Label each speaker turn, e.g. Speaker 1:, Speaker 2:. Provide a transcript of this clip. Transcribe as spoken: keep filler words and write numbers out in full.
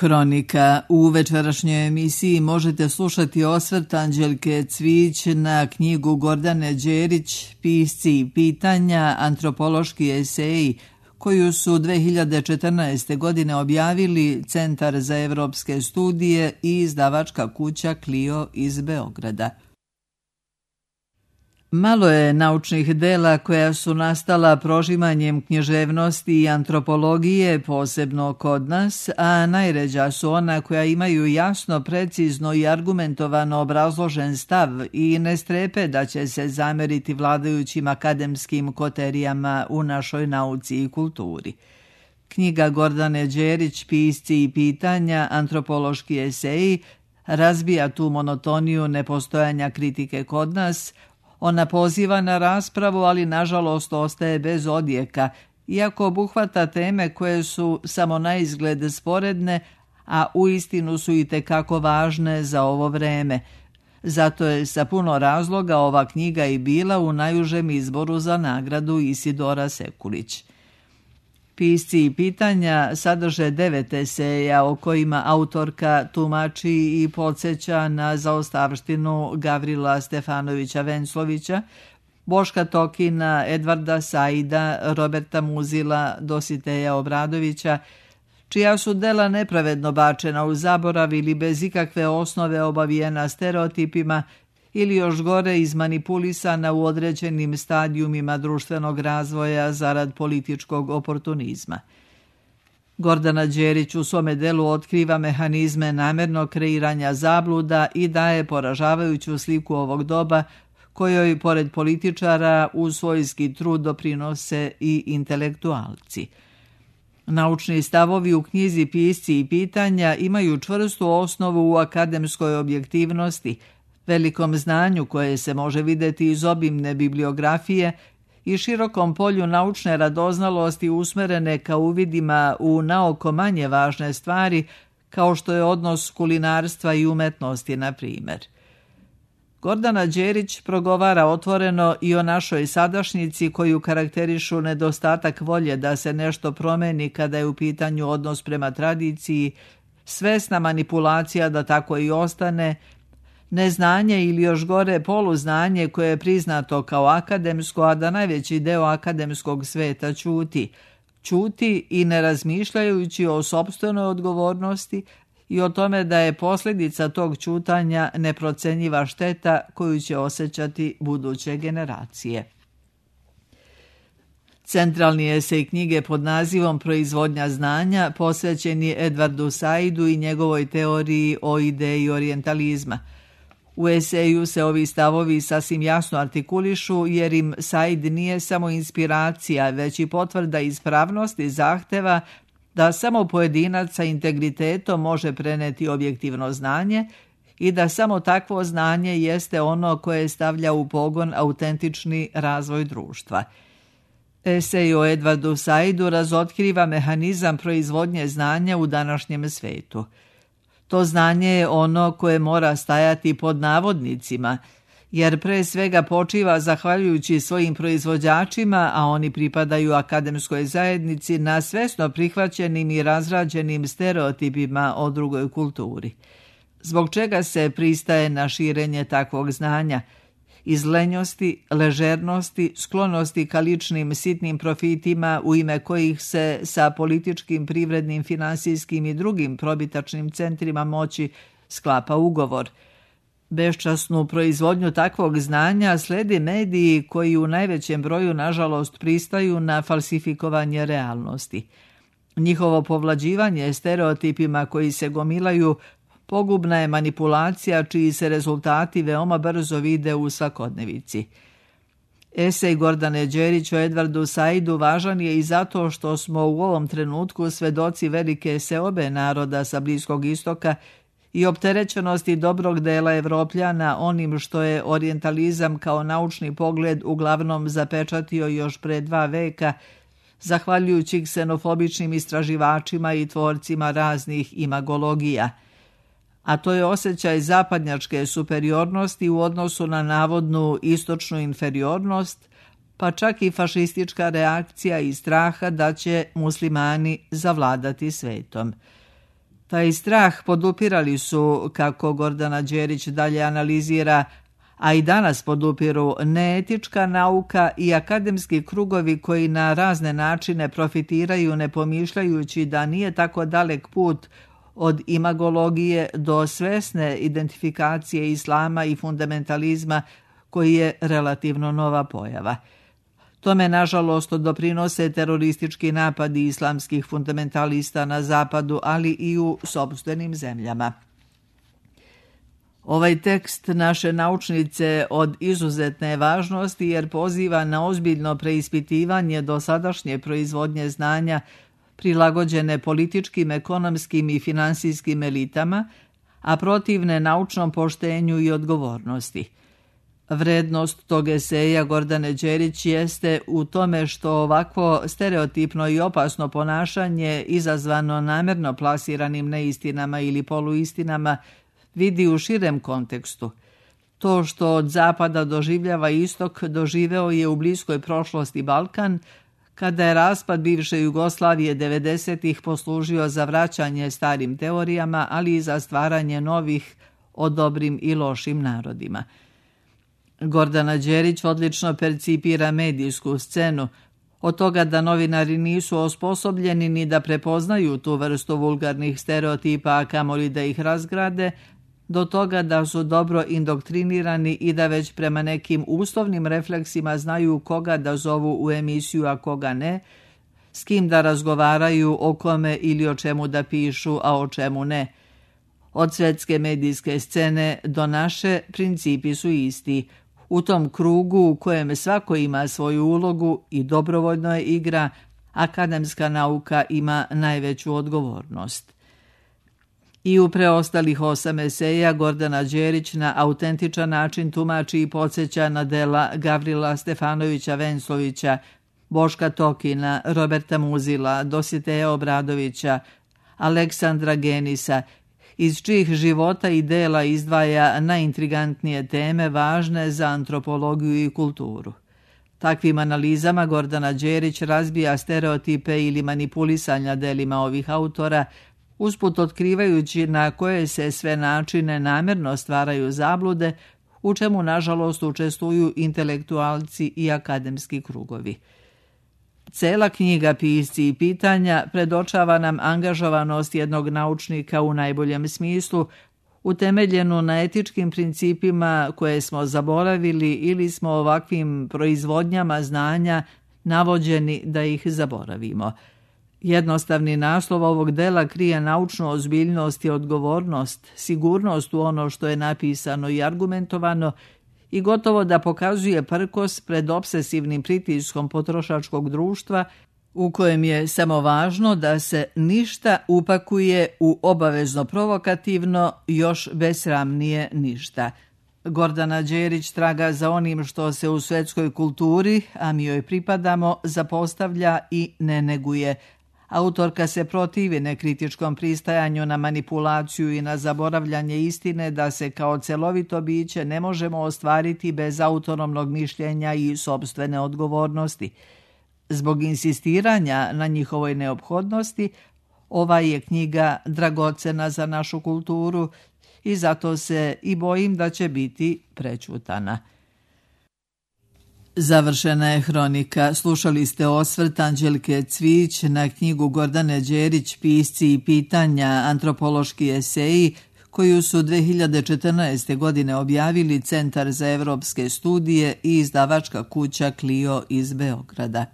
Speaker 1: Hronika. U večerašnjoj emisiji možete slušati osvrt Anđelke Cvić na knjigu Gordane Đerić Pisci i pitanja, antropološki eseji, koju su dve hiljade četrnaeste. godine objavili Centar za evropske studije i izdavačka kuća Clio iz Beograda. Malo je naučnih dela koja su nastala prožimanjem književnosti i antropologije, posebno kod nas, a najređa su ona koja imaju jasno, precizno i argumentovano obrazložen stav i ne strepe da će se zameriti vladajućim akademskim koterijama u našoj nauci i kulturi. Knjiga Gordane Đerić Pisci i pitanja, antropološki eseji razbija tu monotoniju nepostojanja kritike kod nas. Ona poziva na raspravu, ali nažalost ostaje bez odjeka, iako obuhvata teme koje su samo na izgled sporedne, a uistinu su i tekako važne za ovo vreme. Zato je sa puno razloga ova knjiga i bila u najužem izboru za nagradu Isidora Sekulić. Pisci i pitanja sadrže devet eseja o kojima autorka tumači i podsjeća na zaostavštinu Gavrila Stefanovića Venclovića, Boška Tokina, Edvarda Saida, Roberta Muzila, Dositeja Obradovića, čija su dela nepravedno bačena u zaborav ili bez ikakve osnove obavijena stereotipima ili još gore izmanipulisana u određenim stadijumima društvenog razvoja zarad političkog oportunizma. Gordana Đerić u svome delu otkriva mehanizme namernog kreiranja zabluda i daje poražavajuću sliku ovog doba, kojoj pored političara u svojski trud doprinose i intelektualci. Naučni stavovi u knjizi Pisci i pitanja imaju čvrstu osnovu u akademskoj objektivnosti, velikom znanju koje se može vidjeti iz obimne bibliografije i širokom polju naučne radoznalosti usmerene ka uvidima u naoko manje važne stvari, kao što je odnos kulinarstva i umetnosti, na primjer. Gordana Đerić progovara otvoreno i o našoj sadašnjici koju karakterišu nedostatak volje da se nešto promeni kada je u pitanju odnos prema tradiciji, svesna manipulacija da tako i ostane, neznanje ili još gore poluznanje koje je priznato kao akademsko, a da najveći deo akademskog sveta ćuti. Ćuti i ne razmišljajući o sopstvenoj odgovornosti i o tome da je posljedica tog ćutanja neprocenjiva šteta koju će osjećati buduće generacije. Centralni esej knjige pod nazivom Proizvodnja znanja posvećen je Edvardu Saidu i njegovoj teoriji o ideji orijentalizma. U eseju se ovi stavovi sasvim jasno artikulišu jer im Said nije samo inspiracija, već i potvrda ispravnosti zahteva da samo pojedinac sa integritetom može preneti objektivno znanje i da samo takvo znanje jeste ono koje stavlja u pogon autentični razvoj društva. Esej o Edvardu Saidu razotkriva mehanizam proizvodnje znanja u današnjem svetu. To znanje je ono koje mora stajati pod navodnicima, jer pre svega počiva zahvaljujući svojim proizvođačima, a oni pripadaju akademskoj zajednici, na svesno prihvaćenim i razrađenim stereotipima o drugoj kulturi. Zbog čega se pristaje na širenje takvog znanja? Iz lenjosti, ležernosti, sklonosti ka ličnim sitnim profitima u ime kojih se sa političkim, privrednim, finansijskim i drugim probitačnim centrima moći sklapa ugovor. Beščasnu proizvodnju takvog znanja slede mediji koji u najvećem broju nažalost pristaju na falsifikovanje realnosti. Njihovo povlađivanje stereotipima koji se gomilaju pogubna je manipulacija čiji se rezultati veoma brzo vide u svakodnevici. Esej Gordane Đerić o Edvardu Saidu važan je i zato što smo u ovom trenutku svedoci velike seobe naroda sa Bliskog istoka i opterećenosti dobrog dela Evropljana onim što je orijentalizam kao naučni pogled uglavnom zapečatio još pre dva veka, zahvaljujući ksenofobičnim istraživačima i tvorcima raznih imagologija. A to je osjećaj zapadnjačke superiornosti u odnosu na navodnu istočnu inferiornost, pa čak i fašistička reakcija i straha da će muslimani zavladati svetom. Taj strah podupirali su, kako Gordana Đerić dalje analizira, a i danas podupiru neetička nauka i akademski krugovi koji na razne načine profitiraju ne pomišljajući da nije tako dalek put od imagologije do svesne identifikacije islama i fundamentalizma koji je relativno nova pojava. Tome, nažalost, doprinose teroristički napadi islamskih fundamentalista na zapadu, ali i u sopstvenim zemljama. Ovaj tekst naše naučnice od izuzetne važnosti jer poziva na ozbiljno preispitivanje dosadašnje proizvodnje znanja prilagođene političkim, ekonomskim i finansijskim elitama, a protivne naučnom poštenju i odgovornosti. Vrednost tog eseja Gordane Đerić jeste u tome što ovakvo stereotipno i opasno ponašanje izazvano namjerno plasiranim neistinama ili poluistinama vidi u širem kontekstu. To što od zapada doživljava istok doživeo je u bliskoj prošlosti Balkan, kada je raspad bivše Jugoslavije devedesetih poslužio za vraćanje starim teorijama, ali i za stvaranje novih o dobrim i lošim narodima. Gordana Đerić odlično percipira medijsku scenu, od toga da novinari nisu osposobljeni ni da prepoznaju tu vrstu vulgarnih stereotipa, a kamoli da ih razgrade, do toga da su dobro indoktrinirani i da već prema nekim uslovnim refleksima znaju koga da zovu u emisiju, a koga ne, s kim da razgovaraju, o kome ili o čemu da pišu, a o čemu ne. Od svetske medijske scene do naše principi su isti. U tom krugu u kojem svako ima svoju ulogu i dobrovoljno je igra, akademska nauka ima najveću odgovornost. I u preostalih osam eseja Gordana Đerić na autentičan način tumači i podsjeća na dela Gavrila Stefanovića Venclovića, Boška Tokina, Roberta Muzila, Dositeja Obradovića, Aleksandra Genisa, iz čijih života i dela izdvaja najintrigantnije teme važne za antropologiju i kulturu. Takvim analizama Gordana Đerić razbija stereotipe ili manipulisanja delima ovih autora, usput otkrivajući na koje se sve načine namjerno stvaraju zablude, u čemu nažalost učestvuju intelektualci i akademski krugovi. Cela knjiga Pisci i pitanja predočava nam angažovanost jednog naučnika u najboljem smislu, utemeljenu na etičkim principima koje smo zaboravili ili smo ovakvim proizvodnjama znanja navođeni da ih zaboravimo. Jednostavni naslov ovog dela krije naučnu ozbiljnost i odgovornost, sigurnost u ono što je napisano i argumentovano i gotovo da pokazuje prkos pred obsesivnim pritiskom potrošačkog društva u kojem je samo važno da se ništa upakuje u obavezno provokativno, još besramnije ništa. Gordana Đerić traga za onim što se u svetskoj kulturi, a mi joj pripadamo, zapostavlja i ne neguje. Autorka se protivi nekritičkom pristajanju na manipulaciju i na zaboravljanje istine da se kao celovito biće ne možemo ostvariti bez autonomnog mišljenja i sopstvene odgovornosti. Zbog insistiranja na njihovoj neophodnosti, ova je knjiga dragocena za našu kulturu i zato se i bojim da će biti prećutana. Završena je hronika. Slušali ste osvrt Anđelke Cvić na knjigu Gordane Đerić Pisci i pitanja, antropološki eseji, koju su dve hiljade četrnaeste. godine objavili Centar za evropske studije i izdavačka kuća Clio iz Beograda.